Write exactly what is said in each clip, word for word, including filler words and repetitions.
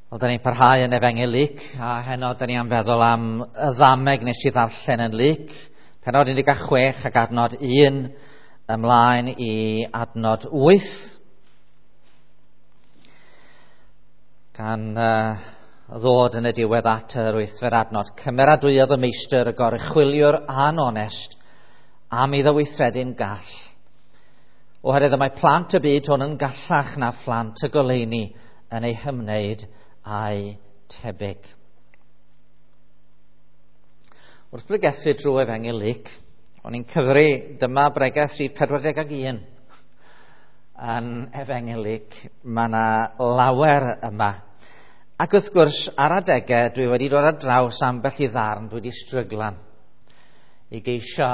Wel, da ni'n parhau yn Efengyl Luc, a heno da ni am feddwl am y ddameg nes i ddarllen yn Luc, pennod un deg chwech ac adnod un ymlaen i adnod wyth. Gan uh, ddod yn y diwedd at yr wythfed adnod. Cymeradwyodd y meistr y goruchwyliwr anonest am iddo weithredu'n gall. Oherwydd y mae plant y byd hwn yn gallach na phlant y goleuni yn ei hymwneud a'i tebyg. Wrth bregethu drwy Efengyl Luc, o'n i'n cyfri dyma bregeth rhif pedwar deg ag un yn Efengyl Luc. Mae yna lawer yma. Ac wrth gwrs, ar adegau, dwi wedi dod ar draws ambell i ddarn, dwi wedi stryglan i geisio,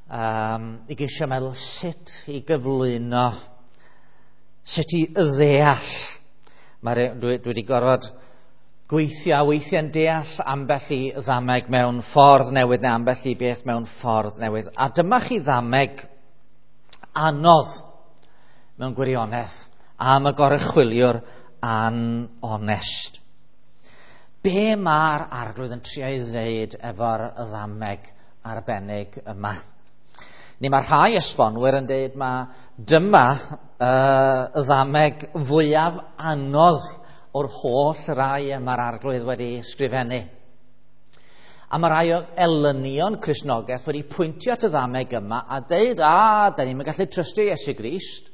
um, i geisio meddwl sut i gyflwyno, sut i ddeall. Mae, dwi, dwi wedi gorfod gweithio a weithiau'n deall ambell i ddameg mewn ffordd newydd neu ambell i beth mewn ffordd newydd. A dyma chi ddameg anodd mewn gwirionedd am y goruchwyliwr anonest. Be mae'r arglwydd yn trio ei ddeud efo'r ddameg arbennig yma? Ni mae rhai esbonwyr yn deud ma dyma uh, y ddameg fwyaf anodd o'r holl rai y mae'r arglwydd wedi sgrifennu. A mae rhai o elynion Cristnogaeth wedi pwyntio at y ddameg yma a deud, a, da ni'n gallu trystio Iesu Grist,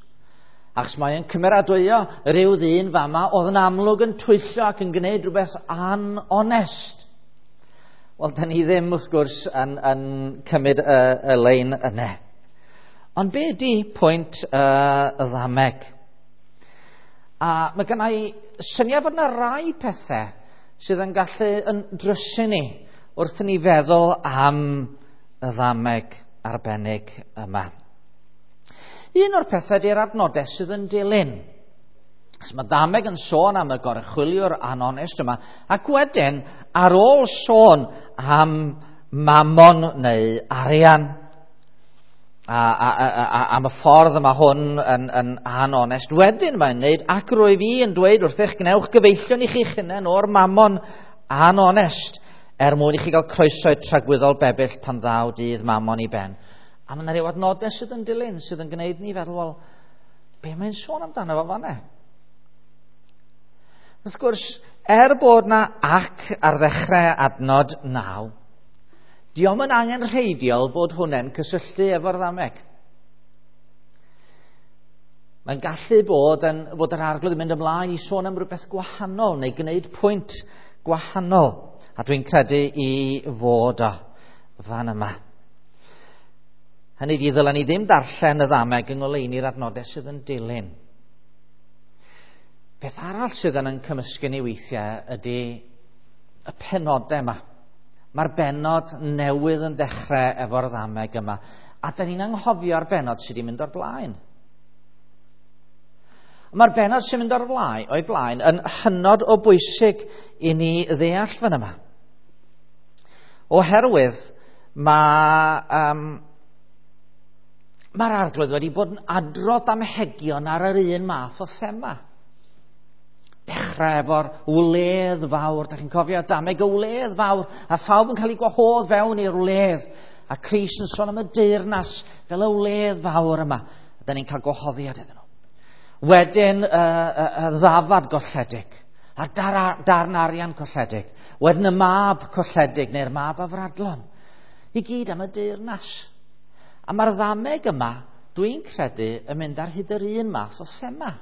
achos mae'n cymeradwyo rhyw ddyn fama oedd yn amlwg yn twyllo ac yn gwneud rhywbeth anonest. Wel, da ni ddim, wrth gwrs, yn, yn cymryd y, y lein yna. Ond be ydi pwynt uh, y ddameg? A mae gen i syniad fod yna rai pethau sydd yn gallu yn drysu ni wrth i ni feddwl am y ddameg arbennig yma. Un o'r pethau ydy'r adnodau sydd yn dilyn. Achos mae ddameg yn sôn am y goruchwyliwr anonest yma, ac wedyn, ar ôl sôn am mamon neu arian, a, a, a, a, am y ffordd yma hwn yn, yn anonest, wedyn mae'n neud, ac rwyf i yn dweud wrthych, gwnewch gyfeillion i chi'ch hunain o'r mamon anonest, er mwyn i chi gael croeso i'r tragwyddol bebyll pan ddaw dydd mamon i ben. A mae yna ryw adnodau sydd yn dilyn, sydd yn gwneud ni feddwl, wel, be mae'n sôn amdano fo fan'na? Wrth gwrs, er bod na ac ar ddechrau adnod naw, dio'm yn angenrheidiol bod hwnna'n cysylltu efo'r ddameg. Mae'n gallu bod yn, fod yr arglwydd yn mynd ymlaen i sôn am rhywbeth gwahanol neu gwneud pwynt gwahanol. A dwi'n credu i fod o fan yma. Hynny ydi, ddylen ni ddim darllen y ddameg yng ngoleuni'r adnodau sydd yn dilyn. Peth arall sydd yn cymysgu ni weithiau ydy y penodau yma. Mae'r bennod newydd yn dechrau efo'r ddameg yma. A da ni'n anghofio'r bennod sydd wedi mynd o'r blaen. Mae'r bennod sy'n mynd o'r blaen, o'i blaen yn hynod o bwysig i ni ddeall fan yma. Oherwydd mae... Um, Mae'r arglwydd wedi bod yn adrodd damhegion ar yr un math o thema. Dechrau efo'r wledd fawr, da chi'n cofio dameg y wledd fawr, a phawb yn cael ei gwahodd fewn i'r wledd. A Crist yn sôn am y deyrnas fel y wledd fawr yma. A da ni'n cael gwahoddiad iddyn nhw. Wedyn y, y, y ddafad golledig, a'r dar, darn arian colledig. Wedyn y mab colledig, neu'r mab afradlon. I gyd am y deyrnas. A mae'r ddameg yma, dwi'n credu, yn mynd ar hyd yr un math o thema.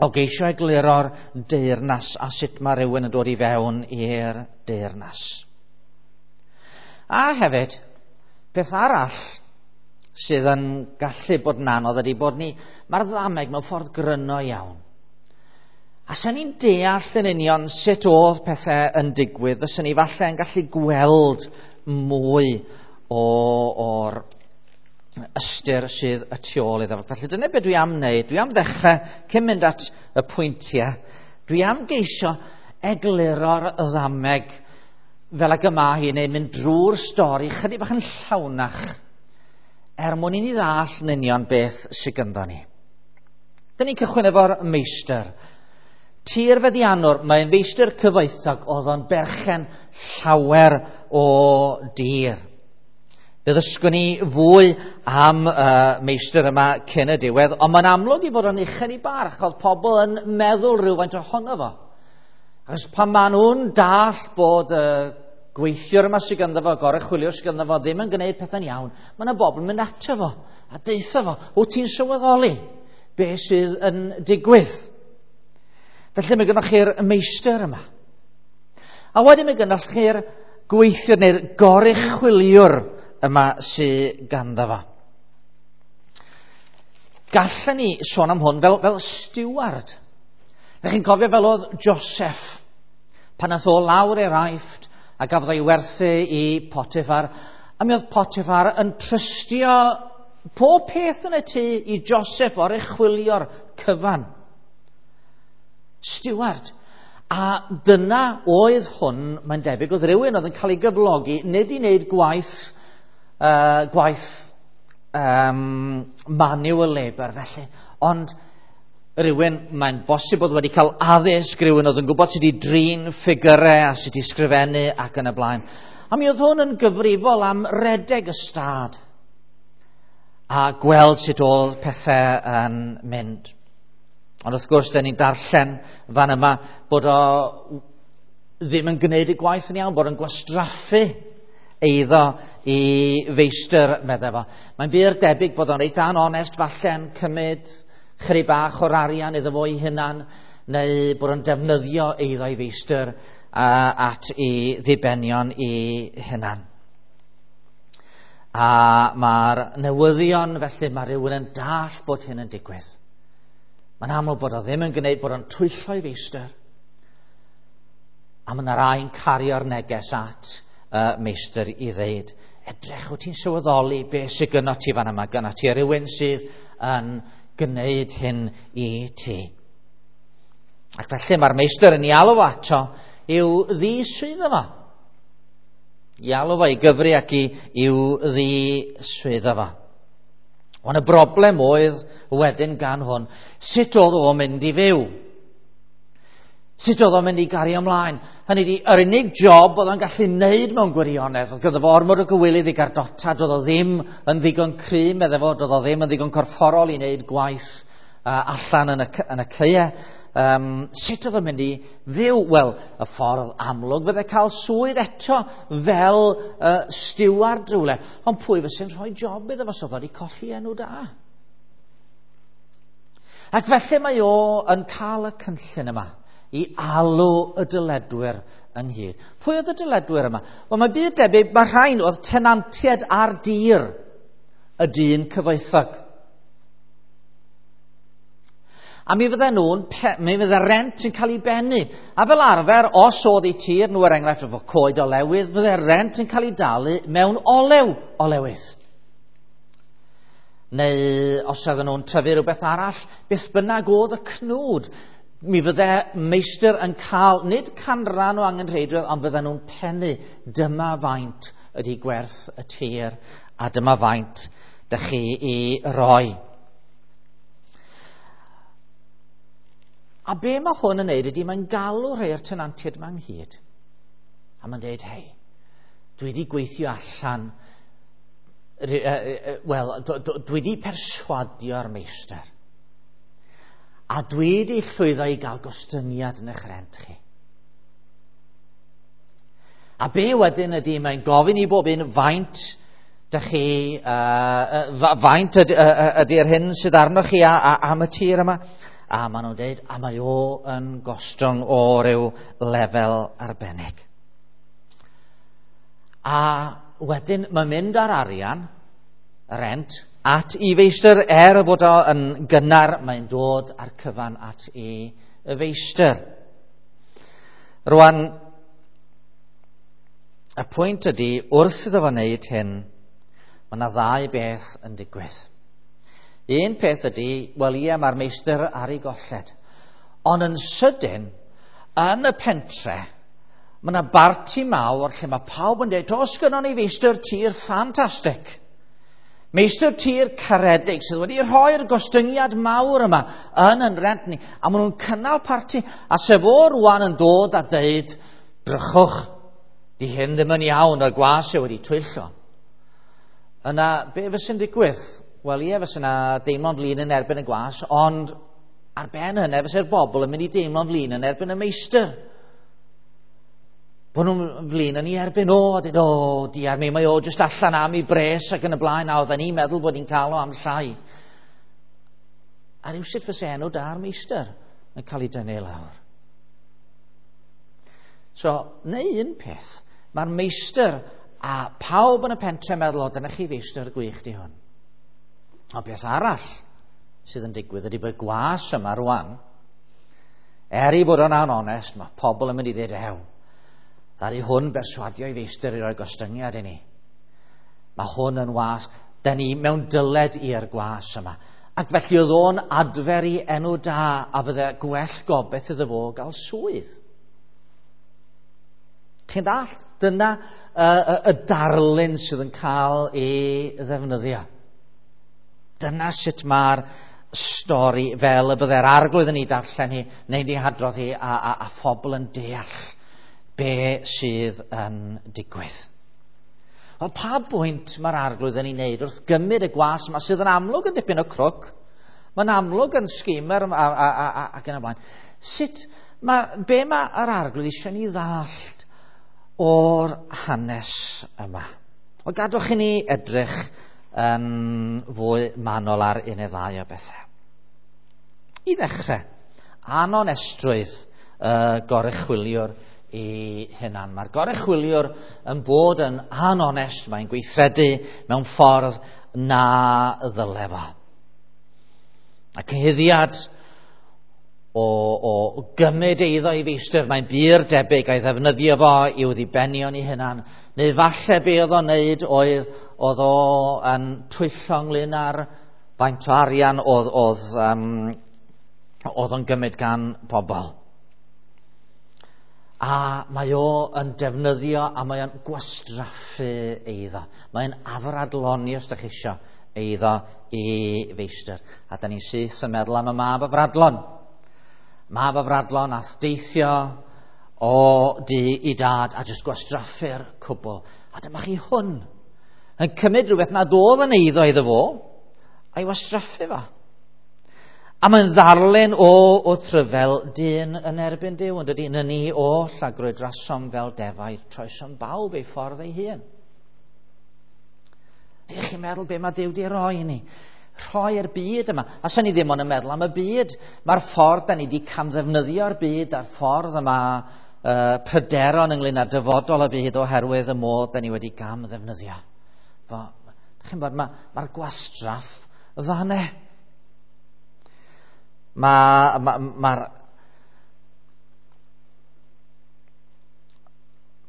O geisio egluro'r deyrnas a sut mae rhywun yn dod i fewn i'r deyrnas. A hefyd, peth arall sydd yn gallu bod yn anodd ydy bod ni, mae'r ddameg mewn ffordd gryno iawn. A sy'n ni'n deall yn union sut oedd pethau yn digwydd, fyswn ni falle yn gallu gweld mwy o, o'r ystyr sydd y tu ôl iddo. Felly dyna beth dwi am wneud. Dwi am ddechrau, cyn mynd at y pwyntiau, dwi am geisio egluro'r ddameg fel ag yma hi, neu mynd drwy'r stori chydig bach yn llawnach, er mwyn i ni ddall yn union beth sydd gynddo ni. Dyn ni'n cychwyn efo'r meistr. Tir feddiannwr, mae'n feistr cyfoethog, oedd o'n berchen llawer o dir. Fe ddysgwn ni fwy am uh, meistr yma cyn y diwedd, ond mae'n amlwg i fod o'n uchel i barch, oedd pobl yn meddwl rhywfaint ohono fo. Achos pan maen nhw'n dall bod y uh, gweithiwr yma sydd ganddo fo, goruchwyliwr sydd ganddo fo, ddim yn gwneud pethau'n iawn, mae yna bobl yn mynd ato fo a deutha fo, wyt ti'n sylweddoli be sydd yn digwydd? Felly mae gennych chi'r meistr yma. A wedyn mae gennych chi'r gweithiwr neu'r goruchwyliwr yma sydd ganddo fo. Gallen ni sôn am hwn fel, fel steward. Ydych chi'n cofio fel oedd Joseph pan nath o lawr i'r Aifft a gafodd o'i werthu i Potiphar, a mi oedd Potiphar yn trystio pob peth yn y tŷ i Joseph oruchwylio'r cyfan. Steward. A dyna oedd hwn, mae'n debyg, oedd rhywun oedd yn cael ei gyflogi, nid i wneud gwaith, uh, gwaith um, manual labour felly, ond rhywun, mae'n bosib oedd wedi cael addysg, rhywun oedd yn gwybod sut i drin ffigurau a sut i sgrifennu ac yn y blaen. A mi oedd hwn yn gyfrifol am redeg y stad a gweld sut oedd pethau yn mynd. Ond wrth gwrs, dyn ni'n darllen fan yma bod o ddim yn gwneud y gwaith yn iawn, bod o'n gwastraffu eiddo i feistr, meddai fo. Mae'n bur debyg bod o'n reit anonest, falle'n cymryd chydig bach o'r arian iddo fo ei hunan, neu bod o'n defnyddio eiddo i feistr uh, at ei ddibenion i hunan. A mae'r newyddion, felly mae rhywun yn dall bod hyn yn digwydd. Mae'n amlwg bod o ddim yn gwneud, bod o'n twyllo i feistr. A mae yna rai'n cario'r neges at uh, meistr i ddeud, edrych, wyt ti'n sylweddoli beth sydd gynno ti fan yma, gynno ti rhywun sydd yn gwneud hyn i ti. Ac felly mae'r meistr yn ei alw ato i'w ddiswyddo fo. I alw fo i gyfri ac i, i'w ddiswyddo fo. Ond y broblem oedd wedyn gan hwn, sut oedd o'n mynd i fyw? Sut oedd o'n mynd i gario ymlaen? Hynny ydi, yr unig job oedd o'n gallu wneud mewn gwirionedd, oedd gyda fo ormod o gywilydd i gardota, doedd o ddim yn ddigon cry, meddai fo, doedd o ddim yn ddigon corfforol i wneud gwaith uh, allan yn y, yn y caeau. Um, sut oedd o'n mynd i fyw? Wel, y ffordd amlwg fydde cael swydd eto fel uh, stiward rhywle. Ond pwy fyse'n rhoi job iddo fo, so oedd wedi colli enw da? Ac felly mae o yn cael y cynllun yma i alw y dyledwyr ynghyd. Pwy oedd y dyledwyr yma? Wel, mae byd debyg, mae rhain oedd tenantiaid ar dir y dyn cyfoethog. A mi fydden nhw'n, mi fydde rent yn cael ei bennu. A fel arfer, os oedd eu tir nhw, er enghraifft efo coed olewydd, fydde rent yn cael ei dalu mewn olew olewydd. Neu os oedden nhw'n tyfu rhywbeth arall, beth bynnag oedd y cnwd, mi fydde meistr yn cael, nid canran o angenrheidrwydd, ond fydden nhw'n pennu, dyma faint ydy gwerth y tir, a dyma faint dych chi i roi. A be mae hwn yn neud ydy, mae'n galw rhai o'r tenantiaid yma ynghyd. A mae'n deud, hei, dwi wedi gweithio allan, wel, dwi wedi perswadio'r meistr. A dwi wedi llwyddo i gael gostyngiad yn eich rent chi. A be wedyn ydy, mae'n gofyn i bob un faint dych chi, uh, faint ydy, ydy'r hyn sydd arnoch chi a, a, am y tir yma. A maen nhw'n dweud, a mae o yn gostwng o ryw lefel arbennig. A wedyn mae'n mynd ar arian, rent, at i feistr, er fod o yn gynnar, mae'n dod ar cyfan at i feistr. Rwan, y pwynt ydy, wrth iddo fo wneud hyn, mae yna ddau beth yn digwydd. Un peth ydy, wel ie, mae'r meistr ar ei golled. Ond yn sydyn, yn y pentre, mae yna barti mawr lle mae pawb yn dweud, oes gynnon ni feistr tir ffantastig. Meistr tir caredig sydd wedi rhoi'r gostyngiad mawr yma yn yn rent ni. A maen nhw'n cynnal parti. A sef o rwan yn dod a deud, drychwch, di hyn ddim yn iawn, y gwas sydd wedi twyllo. Yna, be fysa'n digwydd? Wel ie, fysa yna deimlo'n flin yn erbyn y gwas, ond ar ben hynny fysa'r bobl yn mynd i deimlo'n flin yn erbyn y meistr. Bod nhw'n flin yn ei erbyn o, a dweud, o, diar mi, mae o jyst allan am ei bres ac yn y blaen, a oedden ni'n meddwl bod ni'n cael o am llai. A rhywsut fysa enw da'r meistr yn cael ei dynnu lawr. So, neu un peth, mae'r meistr a pawb yn y pentre meddwl, o, dyna chi feistr gwych di hwn. Ond beth arall sydd yn digwydd ydy bod gwas yma rwan, er i bod o'n anonest, mae pobl yn mynd i ddweud, ew, ddaru hwn berswadio i feistr i roi gostyngiad i ni. Mae hwn yn was, da ni mewn dyled i'r gwas yma. Ac felly oedd o'n adfer i enw da a fydde gwell gobeith iddo fo gael swydd. Chi'n dallt? Dyna y, y, y darlun sydd yn cael ei ddefnyddio. Dyna sut mae'r stori fel y bydde'r arglwydd yn ei darllen hi, neu'n ei hadrodd hi, a, a, a phobl yn deall be sydd yn digwydd. Wel, pa bwynt mae'r arglwydd yn ei wneud wrth gymryd y gwas yma sydd yn amlwg yn dipyn o crwc, mae'n amlwg yn schemer a, a, a, a, ac yn y blaen. Sut, ma, be mae'r arglwydd eisiau ni ddallt o'r hanes yma? Wel, gadwch i ni edrych yn fwy manwl ar un neu ddau o bethau. I ddechrau, anonestrwydd y goruchwyliwr i hunan. Mae'r goruchwyliwr yn bod yn anonest, mae'n gweithredu mewn ffordd na ddyle fo. A cyhuddiad o, o gymryd eiddo i feistr, mae'n bur debyg a'i ddefnyddio fo i'w ddibenion i hunan. Neu falle be oedd o'n neud oedd, oedd o yn twyllo ynglyn â'r faint o arian oedd, oedd, um, oedd o'n gymryd gan pobl. A mae o yn defnyddio a mae o'n gwastraffu eiddo. Mae'n afradloni, os ydych chi isio, eiddo i feistr. A da ni'n syth yn meddwl am y mab afradlon. Mab afradlon ath deithio o du i dad a jyst gwastraffu'r cwbl. A dyma chi hwn yn cymryd rhywbeth nad oedd yn eiddo iddo fo a'i wastraffu fo. A mae'n ddarlun o wrthryfel dyn yn erbyn Duw, yn dydy, yn ni oll a grwydrasom fel defaid, troesom bawb ei ffordd ei hun. Ydych chi'n meddwl be mae Duw di roi i ni? Rhoi'r byd yma. A sa'n ni ddim ond yn meddwl am y byd. Mae'r ffordd da ni di camddefnyddio'r byd a'r ffordd yma uh, pryderon ynglyn â dyfodol y byd oherwydd y modd da ni wedi gamddefnyddio. Fo, chi'n bod, mae'r ma gwastraff fanne. Mae'r ma, ma,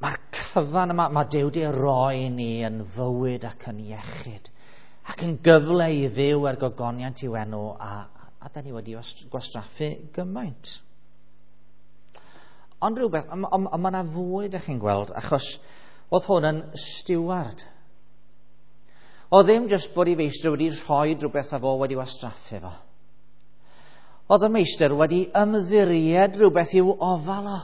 ma cyfan yma, mae Duw di roi ni yn fywyd ac yn iechyd ac yn gyfle i fyw er gogoniant i'w enw, a, a da ni wedi gwastraffu gymaint. Ond rhywbeth, ond mae yna fwy, da chi'n gweld, achos oedd hwn yn steward. Oedd ddim jyst bod ei feistr wedi rhoi rhywbeth a fo wedi wastraffu fo. Oedd y meistr wedi ymddiried rhywbeth i'w ofal o.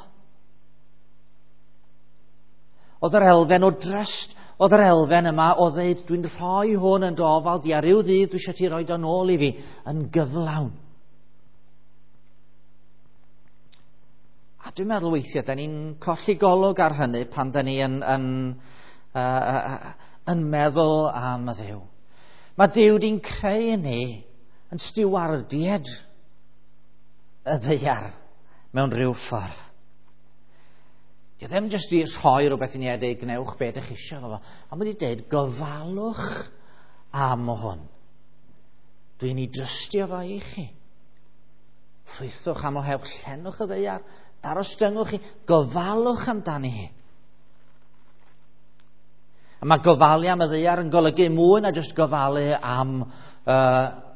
Oedd yr elfen o dryst, oedd yr elfen yma o ddeud, dwi'n rhoi hwn yn dy ofal di, a ryw ddydd dwi eisiau ti roi o nôl i fi, yn gyflawn. A dwi'n meddwl weithiau, da ni'n colli golwg ar hynny pan da ni yn, yn, uh, uh, yn meddwl am y Dduw. Mae Duw di'n creu ni yn stiwardied y ddaear mewn rhyw ffordd. Di ddim jyst i rhoi rhywbeth i ni a dweud gwnewch be ydych chi eisiau fo. Ond wedi dweud gofalwch am hwn. Dwi'n ei drystio fo i chi. Ffrwythwch am ohewch, llenwch y ddaear, darostyngwch chi, gofalwch amdani hi. A mae gofalu am y ddaear yn golygu mwy na jyst gofalu am uh,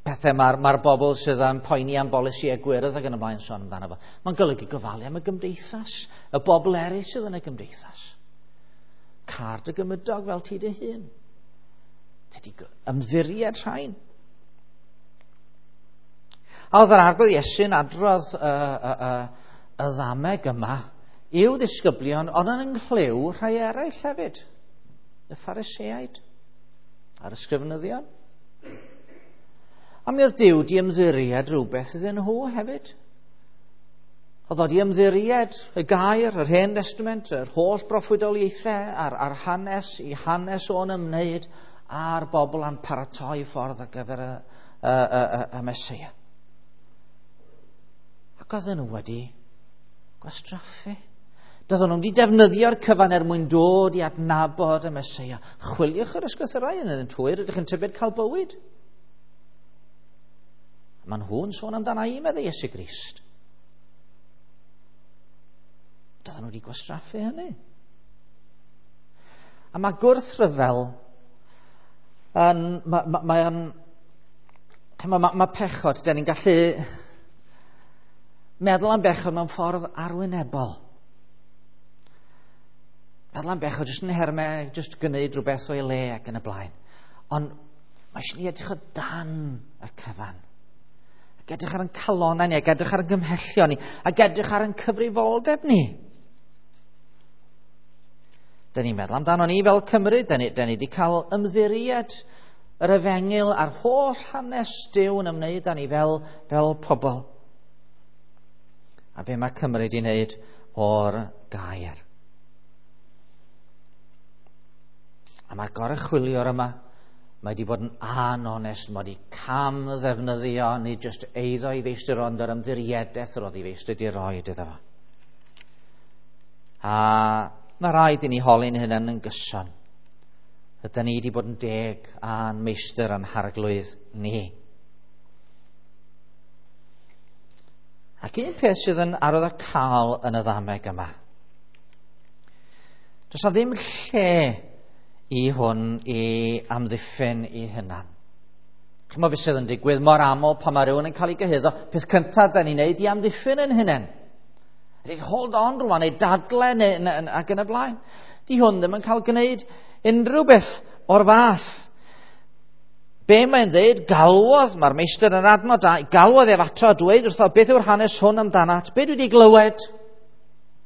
pethau mae'r ma bobl sydd yn poeni am bolisi a gwyrdd ac yn y blaen sôn amdano fo. Mae'n golygu gofalu am y gymdeithas, y bobl eraill sydd yn y gymdeithas. Car dy gymydog fel ti dy hun. Ti wedi ymddiried rhain. A oedd yr Arglwydd Iesu'n adrodd y, y, y, y ddameg yma i'w ddisgyblion, ond yn ynghlhyw rhai eraill hefyd. Y Phariseaid a'r ysgrifenyddion. A mi oedd Duw di ymddiried rhywbeth iddyn nhw hefyd. Oedd o di ymddiried y gair, yr Hen Testament, yr holl broffwydoliaethau a'r, a'r hanes i hanes o'n ymwneud a'r bobl a'n paratoi ffordd ar gyfer y, y, y, y, y Meseia. Ac oedden nhw wedi gwastraffu. Doedden nhw wedi defnyddio'r cyfan er mwyn dod i adnabod y Meseia. Chwiliwch yr ysgrythurau yn y twyr, ydych chi'n tybed cael bywyd. Mae nhw'n sôn amdana i, meddai Iesu Grist. Doedden nhw wedi gwastraffu hynny. A mae gwrthryfel yn, mae, mae, mae, mae, mae, mae pechod, da ni'n gallu meddwl am bechod mewn ffordd arwynebol. Meddwl am bechod jyst yn hermau, jyst gwneud rhywbeth o'i le ac yn y blaen. Ond mae eisiau ni edrych o dan y cyfan. Ac edrych ar ein calonau ni, ac edrych ar ein gymhellion ni, ac edrych ar ein cyfrifoldeb ni. Da ni'n meddwl amdano ni fel Cymru, da ni, da ni wedi cael ymddiried yr efengyl a'r holl hanes Duw yn ymwneud â ni fel, fel pobl. A be mae Cymru wedi wneud o'r gair. A mae'r goruchwyliwr yma, mae wedi bod yn anonest, mae wedi cam ddefnyddio, nid jyst eiddo i feistr, ond yr ymddiriedaeth yr oedd i feistr wedi roed iddo fo. A mae rhaid i ni holi'n hunain yn gyson. Ydyn ni wedi bod yn deg a'n meistr a'n harglwydd ni. Ac un peth sydd yn arwyddocaol yn y ddameg yma. Does na ddim lle i hwn i amddiffyn i hunan. Chymod beth sydd yn digwydd mor aml pan mae rhywun yn cael ei gyhuddo, peth cyntaf da ni'n neud i amddiffyn yn hunan. Ydy hold on rwan, neu dadle, neu, neu, ac yn y blaen. Di hwn ddim yn cael gwneud unrhyw beth o'r fath. Be mae'n dweud, galwodd, mae'r meistr yn adnod da, galwodd ef ato a dweud wrtho, beth yw'r hanes hwn amdanat? Be dwi wedi glywed?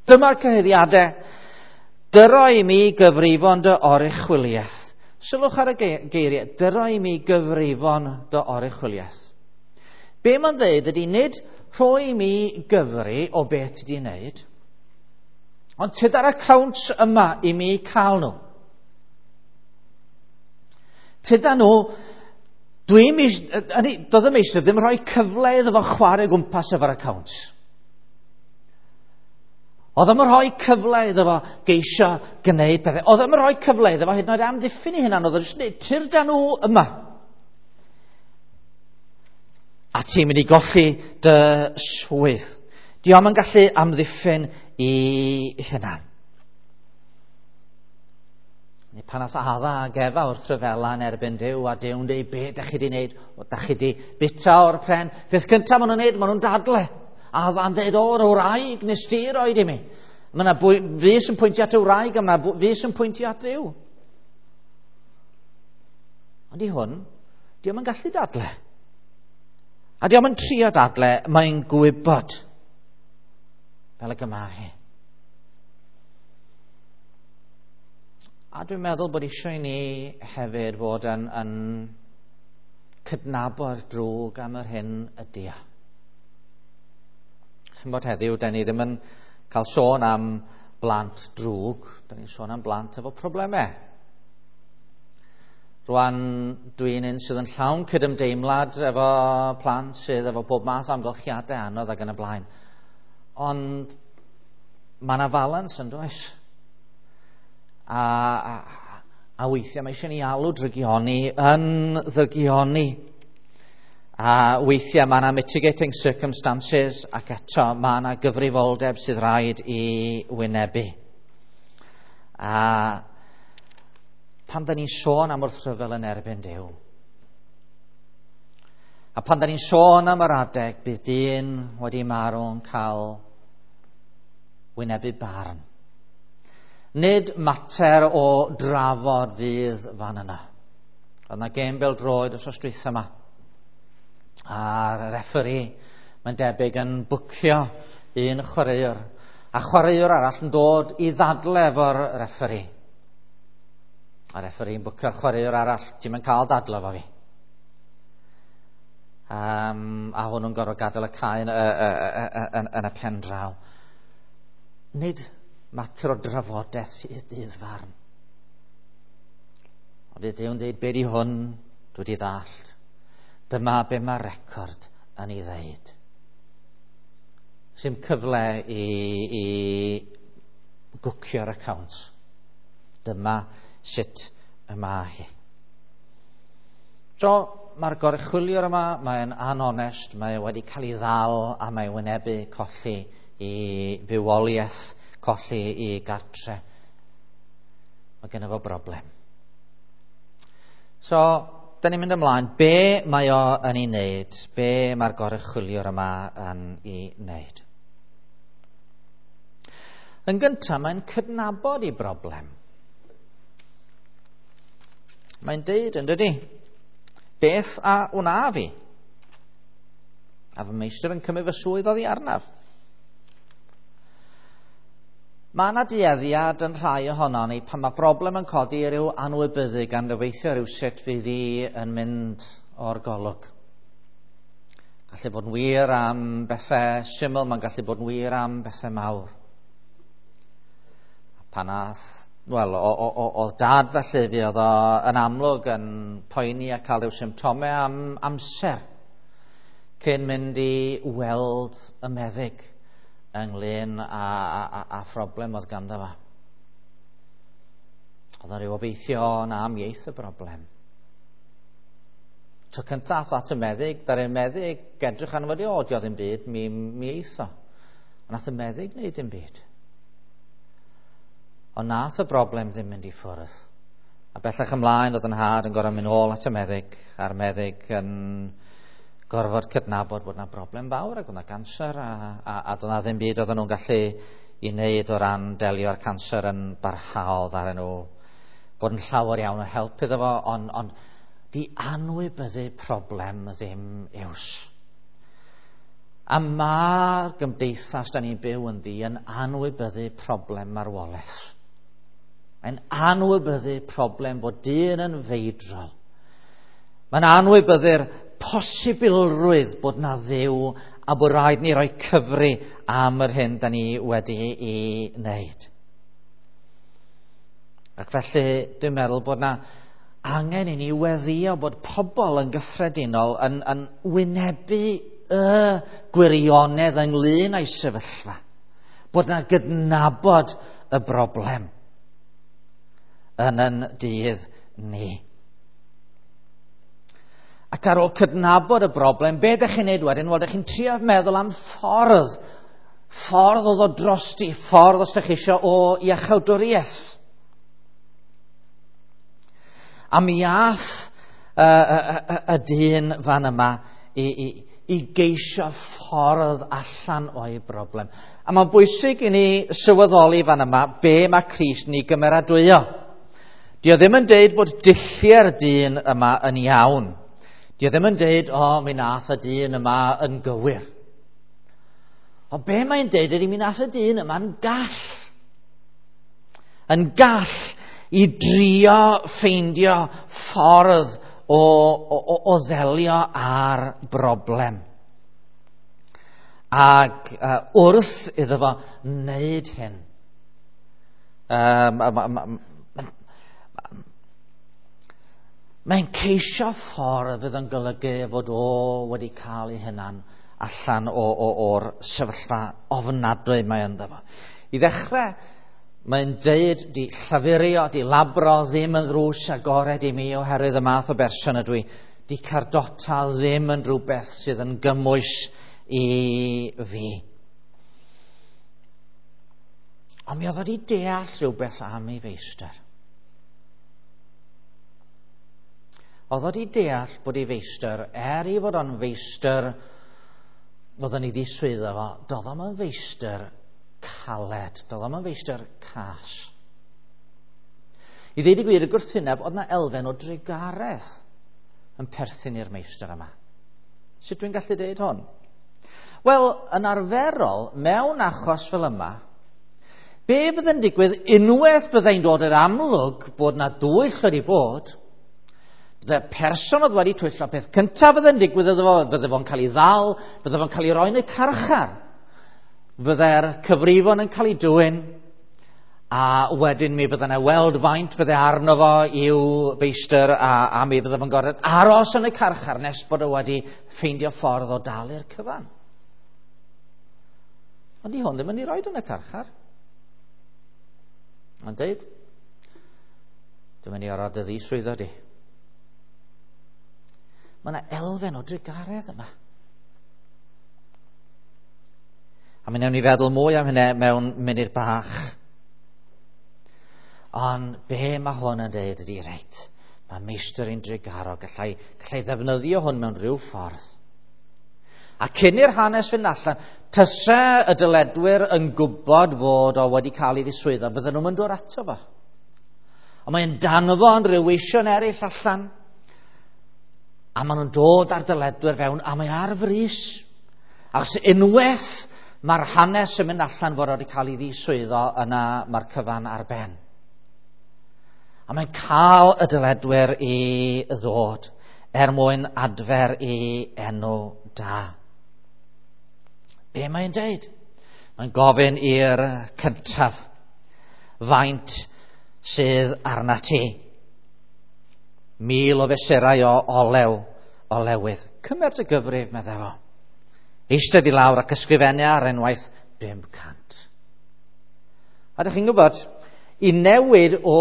Dyma'r cyhuddiadau. Dyro i mi gyfrifon dy oruchwyliaeth. Sylwch ar y geiriau, dyro i mi gyfrifon dy oruchwyliaeth. Be mae'n dweud ydy nid rhoi i mi gyfri o beth ti wedi wneud, ond tyd ar accounts yma i mi cael nhw. Tyda nhw, dwi'n, doedd y meistr ddim rhoi cyfle iddo fo chwarae gwmpas efo'r accounts. Oedd o'm yn rhoi cyfle iddo fo geisio gwneud pethau. Oedd o'm yn rhoi cyfle iddo fo hyd yn oed amddiffyn ei hunan. Oedd o'n jyst dweud, tyrda nhw yma. A ti'n mynd i golli dy swydd. Di o'm yn gallu amddiffyn i hunan. Neu pan ath Adda ag Efa wrth ryfela yn erbyn Duw, a Duw'n dweud, be da chi di wneud? O, da chi di bita o'r pren. Peth cyntaf maen nhw'n wneud, maen nhw'n dadle. Adda'n dweud, o'r wraig nes di roed i mi. Mae yna fys yn pwyntio at y wraig, a mae yna fys yn pwyntio at Dduw. Ond i hwn, di o'm yn gallu dadle. A di o'm yn trio dadle, mae'n gwybod fel y gyma hi. A dwi'n meddwl bod eisiau i ni hefyd fod yn, yn cydnabod drwg am yr hyn ydy o. Chymod heddiw, da ni ddim yn cael sôn am blant drwg, da ni'n sôn am blant efo problemau. Rwan, dwi'n un sydd yn llawn cydymdeimlad efo plant sydd efo bob math o amgylchiadau anodd ac yn y blaen. Ond mae yna falans yn does? A, a, a weithiau mae eisiau ni alw drygioni yn ddygioni. A weithiau mae yna mitigating circumstances ac eto mae yna gyfrifoldeb sydd rhaid i wynebu. A pan da ni'n sôn am wrthryfel yn erbyn Duw, a pan da ni'n sôn am yr adeg bydd dyn wedi marw yn cael wynebu barn. Nid mater o drafod fydd fan yna. Oedd yna gêm bêl-droed wythnos dwytha yma. A'r referee, mae'n debyg, yn bwcio un chwaraewr. A chwaraewr arall yn dod i ddadle efo'r referee. A referee yn bwcio'r chwaraewr arall, "Ti'n mynd cael dadle efo fi." Um, a hwnnw'n gorfod gadael y cae yn, yn, yn y pen draw. Nid mater o drafodaeth fydd dydd farn. Ond fydd Duw'n dweud, "Be di hwn, dwi wedi ddallt. Dyma be mae'r record yn ei ddeud." Sim cyfle i, i gwcio'r accounts. Dyma sut y mae hi. So, mae'r goruchwyliwr yma, mae'n anonest, mae wedi cael ei ddal a mae wynebu colli i fywoliaeth, colli i gartre. Mae gennym fo broblem. So, da ni'n mynd ymlaen. Be mae o yn ei wneud? Be mae'r goruchwyliwr yma yn ei wneud? Yn gyntaf, mae'n cydnabod ei broblem. Mae'n deud, yn dydy, "Beth a wna fi? A fy meistr yn cymryd fy swydd oddi arnaf." Mae yna dueddiad yn rhai ohonon ni pan mae broblem yn codi i ryw anwybyddu gan gobeithio rhywsut fydd hi yn mynd o'r golwg. Gallu bod yn wir am bethau syml, mae'n gallu bod yn wir am bethau mawr. Pan ath, wel, oedd dad felly, fi oedd o yn amlwg yn poeni a cael rhyw symptomau am amser cyn mynd i weld y meddyg ynglyn â, a, a, a phroblem oedd ganddo fo. Oedd o'n rhyw obeithio na am ieith y broblem. Tro cyntaf at y meddyg, da'r meddyg edrych arno fo, "O, dio ddim byd, mi, mi eith o." A nath y meddyg wneud dim byd. Ond nath y broblem ddim mynd i ffwrdd. A bellach ymlaen oedd yn nhad yn gorfod mynd ôl at y meddyg, a'r meddyg yn gorfod cydnabod bod yna broblem fawr ac oedd yna ganser a, a, a doedd 'na ddim byd oedden nhw'n gallu i wneud o ran delio â'r canser yn barhaol ddaru nhw bod yn llawer iawn o help iddo fo, ond on, di anwybyddu problem ddim iws. A mae'r gymdeithas da ni'n byw ynddi yn anwybyddu problem marwolaeth. Mae'n anwybyddu problem bod dyn yn feidrol. Mae'n anwybyddu'r posibilrwydd bod na Dduw a bod rhaid ni roi cyfri am yr hyn da ni wedi ei wneud. Ac felly dwi'n meddwl bod na angen i ni weddio bod pobl yn gyffredinol yn, yn wynebu y gwirionedd ynglyn â'i sefyllfa. Bod na gydnabod y broblem yn yn dydd ni. Ac ar ôl cydnabod y broblem, be ydych chi'n neud wedyn? Wel, ydych chi'n trio meddwl am ffordd. Ffordd o ddod drosti, ffordd os ydych chi eisiau o iachawdwriaeth. A mi ath y, y, y, y dyn fan yma i, i, i geisio ffordd allan o'i broblem. A mae'n bwysig i ni sylweddoli fan yma be mae Crist ni gymeradwyo. Di o ddim yn deud bod dulliau'r dyn yma yn iawn. Di o ddim yn deud, "O, mi nath y dyn yma yn gywir." O be mae'n deud ydy mi nath y dyn yma'n gall. Yn gall i drio ffeindio ffordd o, o, o, o ddelio â'r broblem. Ac uh, wrth iddo fo wneud hyn, um, mae'n ceisio ffordd fydd yn golygu fod o wedi cael ei hunan allan o, o, o'r sefyllfa ofnadwy mae ynddo fo. I ddechrau, mae'n deud di llafurio, di labro ddim yn ddrws agored i mi oherwydd y math o berson ydw i. Di cardota ddim yn rhywbeth sydd yn gymwys i fi. Ond mi oedd wedi deall rhywbeth am ei feistr. Oedd wedi deall bod ei feistr, er ei fod o'n feistr, fod yn ei ddiswyddo fo, doedd o'm yn feistr caled, doedd o'm yn feistr cas. I ddeud y gwir, y gwrthwyneb, oedd na elfen o drugaredd yn perthyn i'r meistr yma. Sut dwi'n gallu deud hwn? Wel, yn arferol, mewn achos fel yma, be fydd yn digwydd unwaith fyddai'n dod i'r amlwg bod na dwyll wedi bod, bydde'r person oedd wedi twyllo, peth cyntaf fydd yn digwydd iddo fo, fydde fo'n cael ei ddal, fydde fo'n cael ei roi yn y carchar. Fydde'r cyfrifon yn cael ei dwyn, a wedyn mi fydde yna weld faint fydde arno fo i'w feistr, a, a mi fydde fo'n gorfod aros yn y carchar nes bod o wedi ffeindio ffordd o dalu'r cyfan. Ond di hwn ddim yn ei roed yn y carchar. Ond deud, dwi'n mynd i orfod dy ddiswyddo di. Mae yna elfen o drugaredd yma. A mi wnawn ni feddwl mwy am hynny mewn munud bach. Ond be mae hwn yn dweud ydy, reit, mae meistr yn drugarog, gallai, gallai ddefnyddio hwn mewn rhyw ffordd. A cyn i'r hanes fynd allan, tyse y dyledwyr yn gwybod fod o wedi cael ei ddiswyddo, bydden nhw'n dod ato fo. Ond mae'n danfon rhyw weision eraill allan, a maen nhw'n dod ar dyledwyr fewn, a mae ar frys. Achos unwaith mae'r hanes yn mynd allan fod o wedi cael ei ddiswyddo, yna mae'r cyfan ar ben. A mae'n cael y dyledwyr i ddod er mwyn adfer ei enw da. Be mae'n deud? Mae'n gofyn i'r cyntaf, faint sydd arna ti? Mil o fesurau o olew, olewydd. Cymer dy gyfrif, meddai fo. Eistedd i lawr ac ysgrifennu ar unwaith bum cant. A ydych chi'n gwybod, i newid o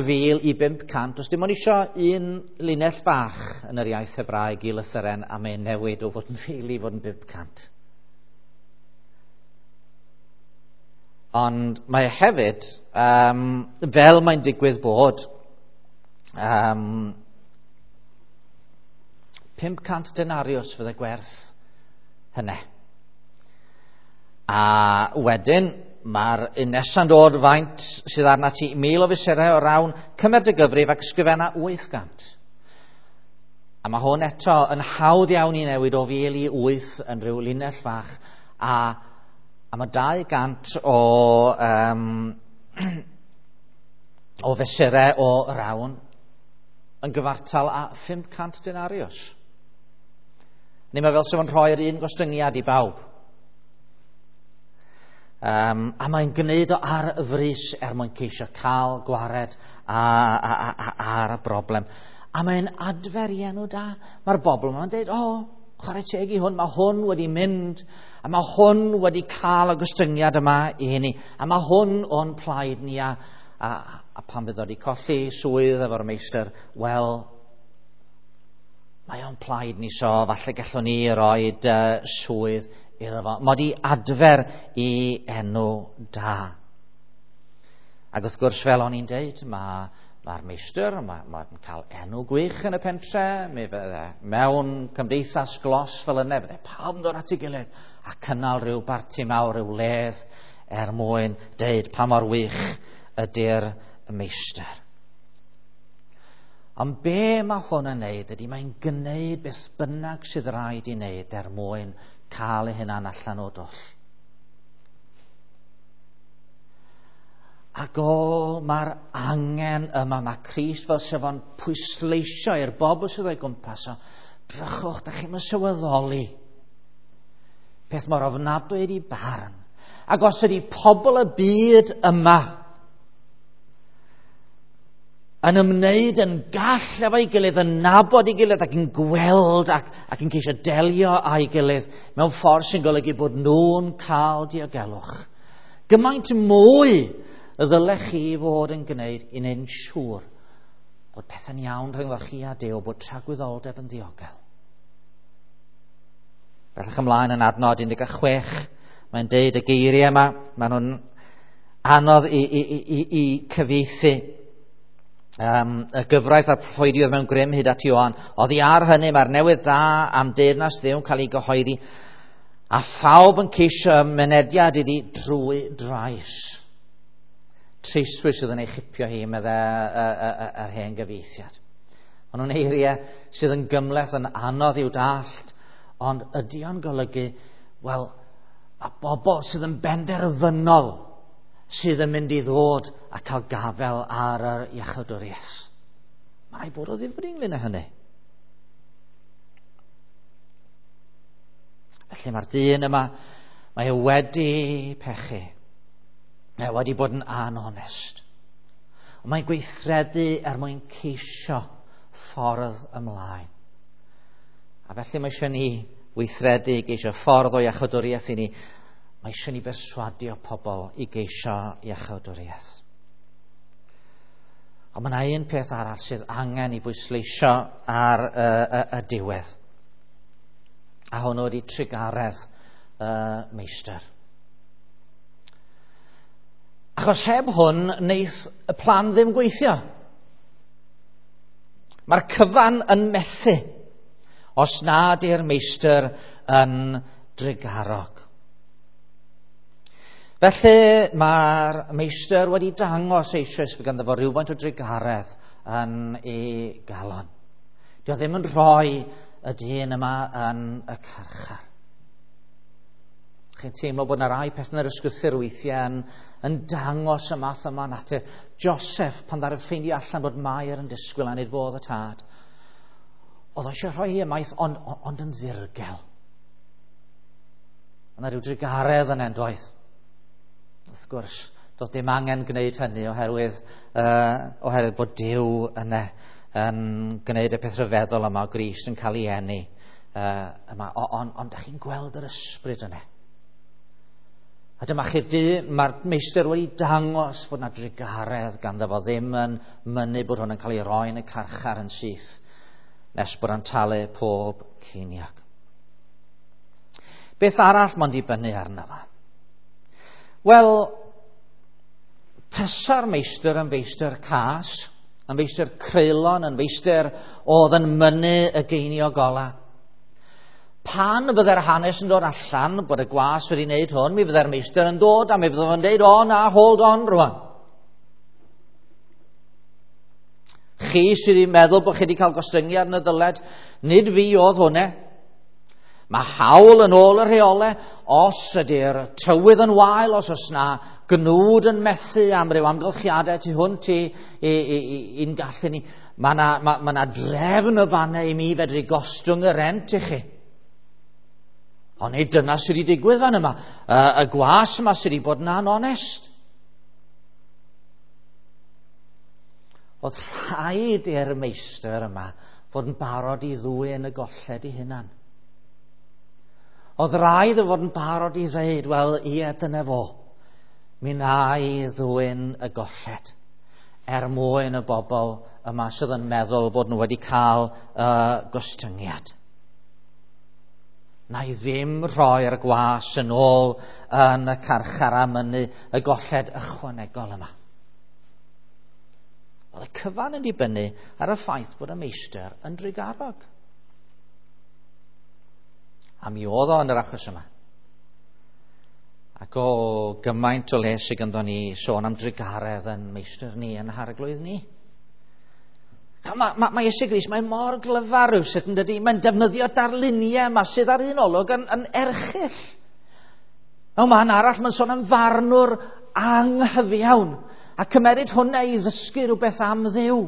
fil i bump cant, os dim ond isio un linell bach yn yr iaith Hebraeg i lythyren, a mae'n newid o fod yn fil i fod yn bump cant. Ond mae hefyd, um, fel mae'n digwydd bod, um, pump cant denarius fydde gwerth hynny. A wedyn, mae'r un nesa'n dod faint sydd arna ti, mil o fesurau o rawn, cymer dy gyfrif ac ysgrifenna wyth gant. A mae hwn eto yn hawdd iawn i newid o fil i wyth yn rhyw linell fach, a, a mae dau gant o, um, o fesurau o rawn yn gyfartal â pump cant denarius. Neu mae fel sef yn rhoi'r un gostyngiad i bawb. Um, a mae'n gwneud o ar frys er mwyn ceisio cael gwared a, a, a, a, ar y broblem. A mae'n adfer i enw da. Mae'r bobl yma'n dweud, o, oh, chwarae teg i hwn, mae hwn wedi mynd, a mae hwn wedi cael y gostyngiad yma i ni, a mae hwn o'n plaid ni, a, a, a pan fydd o wedi colli swydd efo'r meistr, wel, mae o'n plaid ni, so falle gallwn ni roed uh, swydd iddo fo. Mod i adfer i enw da. Ac wrth gwrs, fel o'n i'n deud, mae mae'r meistr, mae'n ma cael enw gwych yn y pentre, mi fydde mewn cymdeithas glos fel yna, fydde pawb yn dod at ei gilydd a cynnal rhyw barti mawr, rhyw ledd er mwyn deud pa mor wych ydy'r meistr. Ond be mae hwn yn neud ydy mae'n gwneud beth bynnag sydd rhaid i wneud er mwyn cael ei hunan allan o dwll. Ac o, mae'r angen yma, mae Crist fel sef o'n pwysleisio i'r bobl sydd o'i gwmpas o, drychwch, da chi'n sylweddoli peth mor ofnadwy ydi barn. Ac os ydi pobl y byd yma yn ymwneud yn gall efo'i gilydd, yn nabod ei gilydd ac yn gweld ac, ac yn ceisio delio â'i gilydd mewn ffordd sy'n golygu bod nhw'n cael diogelwch. Gymaint mwy y ddylech chi fod yn gwneud i wneud yn siŵr bod pethau'n iawn rhyngddo chi a Duw, bod tragwyddoldeb yn ddiogel. Bellach ymlaen yn adnod un deg chwech, mae'n deud y geiriau yma, maen nhw'n anodd i, i, i, i, i cyfieithu. Um, y gyfraith a'r proffwydi oedd mewn grym hyd at Ioan. Oddi ar hynny mae'r newydd da am deyrnas Dduw yn cael ei gyhoeddi, a phawb yn ceisio mynediad iddi drwy drais. Treiswyr sydd yn ei chipio hi, medde yr hen gyfieithiad. Maen nhw'n eiriau sydd yn gymhleth, yn anodd i'w dallt, ond ydy o'n golygu, wel, a bobl sydd yn benderfynol sydd yn mynd i ddod a cael gafel ar yr iachawdwriaeth. Mae rhaid bod o ddifri ynglyn â hynny. Felly mae'r dyn yma, mae e wedi pechu. Mae wedi bod yn anonest. Ond mae'n gweithredu er mwyn ceisio ffordd ymlaen. A felly mae eisiau ni weithredu i geisio ffordd o iachawdwriaeth i ni. Mae eisiau ni berswadio pobl i geisio iachawdwriaeth. Ond mae yna un peth arall sydd angen i bwysleisio ar y, y, y diwedd. A hwnnw ydy trugaredd y meistr. Achos heb hwn, wneith y plan ddim gweithio. Mae'r cyfan yn methu os nad yw'r meistr yn drugarog. Felly mae'r meistr wedi dangos eisoes fod ganddo fo rhywfaint o drugaredd yn ei galon. Dio ddim yn rhoi y dyn yma yn y carchar. Chi'n teimlo bod yna rai pethau yn yr ysgrythur weithiau yn, yn dangos y math yma natur. Joseph, pan ddaru ffeindio allan bod Mair yn disgwyl a nid fodd y tad, oedd o eisiau rhoi ei ymaith, ond, ond yn ddirgel. Yna rhyw drugaredd yn endoedd. Wrth gwrs, doedd dim angen gwneud hynny oherwydd, uh, oherwydd bod Duw yna yn gwneud y peth rhyfeddol yma o Grist yn cael ei eni. Uh, yma. Ond on, on, dach chi'n gweld yr ysbryd yna. A dyma chi'r dyn, mae'r meistr wedi dangos fod yna drugaredd ganddo fo, ddim yn mynnu bod hwn yn cael ei roi yn y carchar yn syth, nes bod o'n talu pob ceiniog. Beth arall mae'n dibynnu arno fo? Wel, tasa'r meistr yn feistr cas, yn feistr creulon, yn feistr oedd yn mynnu y geiniog ola. Pan fydde'r hanes yn dod allan bod y gwas wedi wneud hwn, mi fydde'r meistr yn dod a mi fydde fo'n dweud, o na, hold on rwan. Chi sydd wedi meddwl bod chi wedi cael gostyngiad yn y ddyled, nid fi oedd hwnna. Mae hawl yn ôl y rheolau, os ydy'r tywydd yn wael, os oes na gnwd yn methu am ryw amgylchiadau tu hwnt i, i, i, i'n gallu ni, mae yna ma, ma na drefn y fannau i mi fedru gostwng y rent i chi. Ond nid dyna sydd wedi digwydd fan yma. Y, y gwas yma sydd wedi bod yn anonest. Oedd rhaid i'r meistr yma fod yn barod i ddwyn y golled i hunan. Oedd rhaid i fod yn barod i ddweud, wel, ie, dyna fo. Mi na i ddwyn y golled er mwyn y bobl yma sydd yn meddwl bod nhw wedi cael uh, gostyngiad. Na i ddim rhoi'r gwas yn ôl yn y carchar a mynnu y golled ychwanegol yma. Oedd y cyfan yn dibynnu ar y ffaith bod y meistr yn drugarog. A mi oedd o yn yr achos yma. Ac o gymaint o le sydd ganddo ni sôn am drugaredd yn meistr ni, yn harglwydd ni. Mae ma, ma Iesu Grist, mae'n mor glyfar rywsut yn dydi. Mae'n defnyddio darluniau yma sydd ar un olwg yn, yn erchyll. Mewn man arall, mae'n sôn am farnwr anghyfiawn. A cymeryd hwnna i ddysgu rhywbeth am Dduw.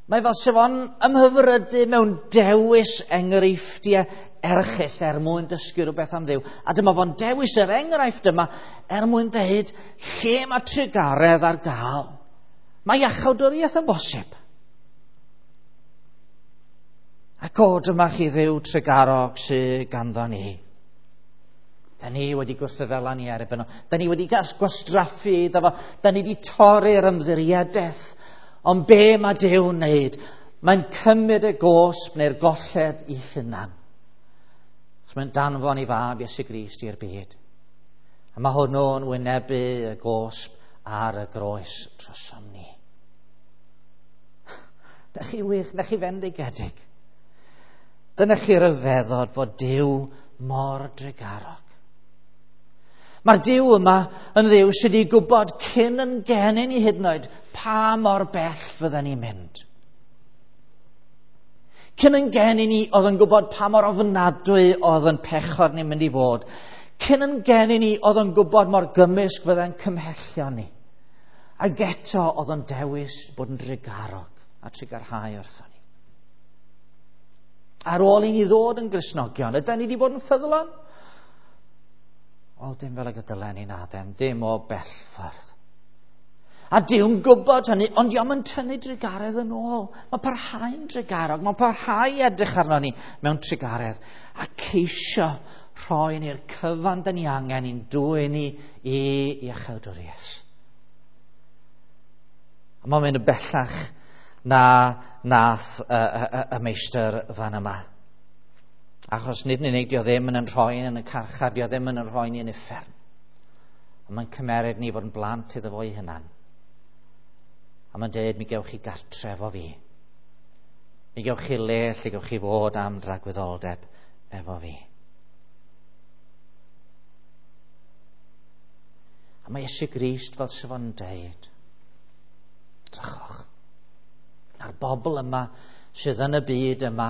Mae fel sef o'n ymhyfrydu mewn dewis enghreifftiau erchyll er mwyn dysgu rhywbeth am Dduw. A dyma fo'n dewis yr enghraifft yma er mwyn dweud lle mae trugaredd ar gael. Mae iachawdwriaeth yn bosib. Ac o, dyma chi Dduw trugarog sydd ganddo ni. Da ni wedi gwrthyfela ni erbyn o. Da ni wedi gwastraffu iddo fo. Da ni wedi torri'r ymddiriedaeth. Ond be mae Duw'n wneud? Mae'n cymryd y gosb neu'r golled i hunan. So mae'n danfon i fab Iesu Grist i'r byd. A mae hwnnw'n wynebu y gosb ar y groes drosom ni. Da chi wych, da chi fendigedig. Dyna chi ryfeddod fod Duw mor drugarog. Mae'r Duw yma yn Dduw sydd wedi gwybod cyn yn geni ni hyd yn oed pa mor bell fydden ni'n mynd. Cyn yn geni ni oedd yn gwybod pa mor ofnadwy oedd yn pechod ni'n mynd i fod. Cyn yn geni ni oedd yn gwybod mor gymysg fydde'n cymhellion ni. Ac eto oedd yn dewis bod yn drugarog a trugarhau wrthon ni. Ar ôl i ni ddod yn Gristnogion, ydan ni wedi bod yn ffyddlon? Wel, dim fel y dylen ni naden, dim o bell ffordd. A Duw'n gwybod hynny, ond dio'm yn tynnu drugaredd yn ôl. Mae'n parhau'n drugarog, mae'n parhau edrych arno ni mewn trugaredd a ceisio rhoi ni'r cyfan dyn ni angen i'n dwyn ni i iachawdwriaeth. A mae'n mynd yn bellach na nath y, y, y, y meistr fan yma. Achos nid yn unig dio ddim yn yn rhoi yn y carchar, dio ddim yn yn rhoi ni yn uffern. Ond mae'n cymeryd ni fod yn blant iddo fo'i hunan. A mae'n dweud, mi gewch chi gartref o fi. Mi gewch chi le lle gewch chi fod am dragwyddoldeb efo fi. A mae Iesu Grist fel sydd fo'n dweud, drychwch. A'r bobl yma sydd yn y byd yma,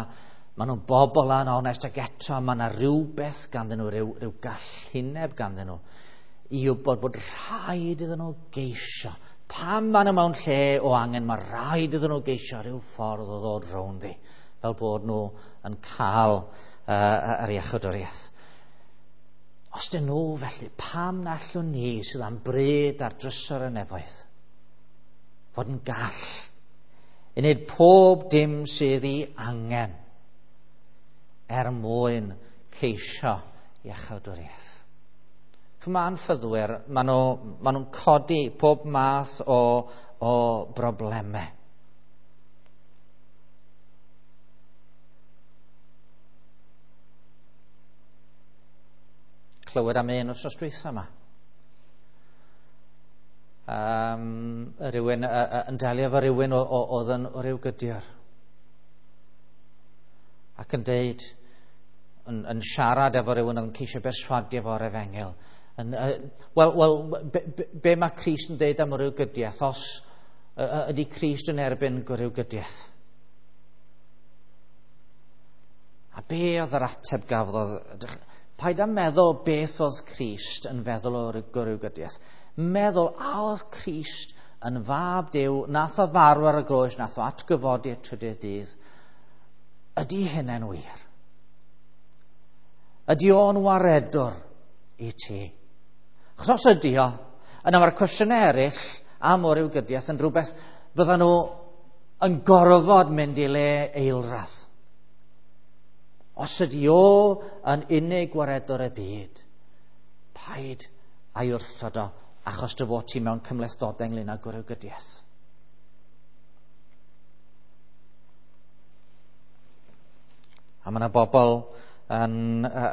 maen nhw'n bobl anonest ac eto mae yna rhywbeth ganddyn nhw, rhyw, rhyw gallineb ganddyn nhw, i wybod bod rhaid iddyn nhw geisio. Pam maen nhw mewn lle o angen, mae rhaid iddyn nhw geisio rhyw ffordd o ddod rownd i, fel bod nhw yn cael uh, yr iachawdwriaeth. Os dyn nhw felly, pam na allwn ni sydd am bryd ar drysor y nefoedd fod yn gall i wneud pob dim sydd i angen er mwyn ceisio iachawdwriaeth. Mae anffyddwyr, maen nhw, maen nhw'n codi pob math o, o broblemau. Clywed am un wythnos dwytha yma. Um, rhywun, uh, yn delio efo rhywun oedd yn o ryw gydiwr. Ac yn deud, yn, yn siarad efo rhywun oedd yn ceisio berswadio efo'r efengyl. Yn, uh, Wel, wel, be, be, be mae Crist yn deud am ryw gydiaeth? Os uh, ydy Crist yn erbyn ryw gydiaeth? A be oedd yr ateb gafodd? Paid â meddwl beth oedd Crist yn feddwl o ryw gydiaeth. Meddwl a oedd Crist yn fab Duw, nath o farw ar y groes, nath o atgyfodi y trydydd dydd. Ydy hynny'n wir? Ydy o'n waredwr i ti? Achos os ydy o, yna mae'r cwestiynau eraill am o ryw gydiaeth yn rhywbeth fyddan nhw yn gorfod mynd i le eilradd. Os ydy o yn unig waredwr y byd, paid a'i wrthod o achos dy fod ti mewn cymhlethdodau ynglyn â gwrywgydiaeth. A mae yna bobl yn, uh,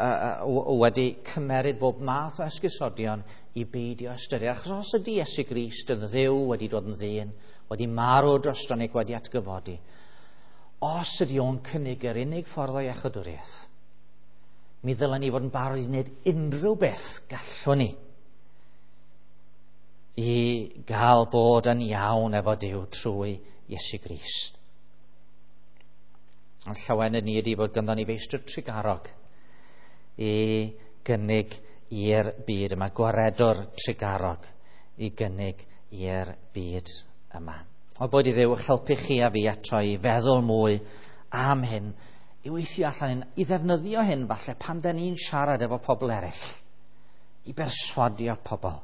uh, wedi cymeryd bob math o esgusodion i beidio ystyried. Achos os ydy Iesu Grist yn Dduw wedi dod yn ddyn, wedi marw drosto ni ac wedi atgyfodi, os ydy o'n cynnig yr unig ffordd o iachawdwriaeth, mi ddylen ni fod yn barod i wneud unrhyw beth gallwn ni i gael bod yn iawn efo Duw trwy Iesu Grist. Ond llawenydd ni ydy fod ganddo ni feistr trugarog i gynnig i'r byd yma, gwaredwr trugarog i gynnig i'r byd yma. O bod i Dduw helpu chi a fi eto i feddwl mwy am hyn, i weithio allan hyn, i ddefnyddio hyn falle pan da ni'n siarad efo pobl eraill, i berswadio pobl.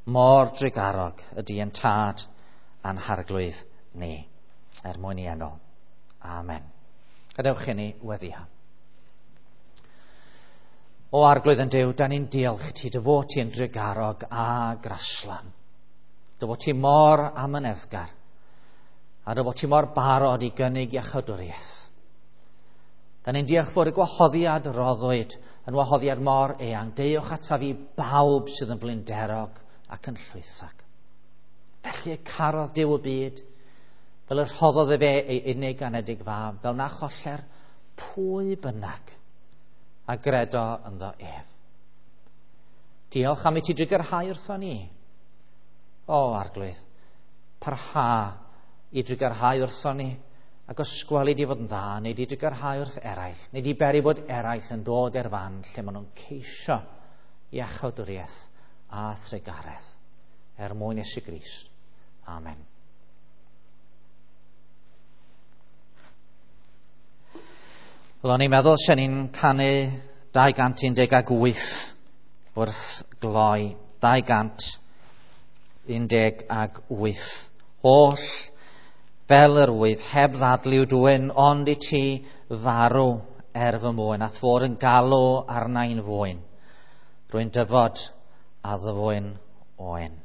Mor drugarog ydy ein tad a'n harglwydd ni, er mwyn i enw. Amen. Gadewch i ni weddio. O Arglwydd yn Duw, da ni'n diolch i ti, dy fod ti yn drugarog a graslon. Dy fod ti mor amyneddgar, a dy fod ti mor barod i gynnig iachawdwriaeth. Da ni'n diolch fod y gwahoddiad roddwyd yn wahoddiad mor eang. Deuwch ataf i bawb sydd yn blinderog ac yn llwythag. Felly y carodd Duw y byd, fel y rhoddodd efe ei unig anedig fab, fel na choller pwy bynnag a gredo ynddo ef. Diolch am i ti drugarhau wrtho ni. O, Arglwydd, parha i drugarhau wrtho ni, ac os gweli di fod yn dda, neu di drugarhau wrth eraill, neu di beri bod eraill yn dod i'r fan lle maen nhw'n ceisio iachawdwriaeth a thrugaredd, er mwyn Iesu Grist. Amen. Wel, o'n i'n meddwl sy'n ni'n canu dau gant un deg wyth wrth gloi. dau gant un deg wyth. Oll fel yr wyf, heb ddadl i'w dwyn, ond i ti farw er fy mwyn, a'th fod yn galw arna i'n fwyn. Rwy'n dyfod a ddyfwyn oen.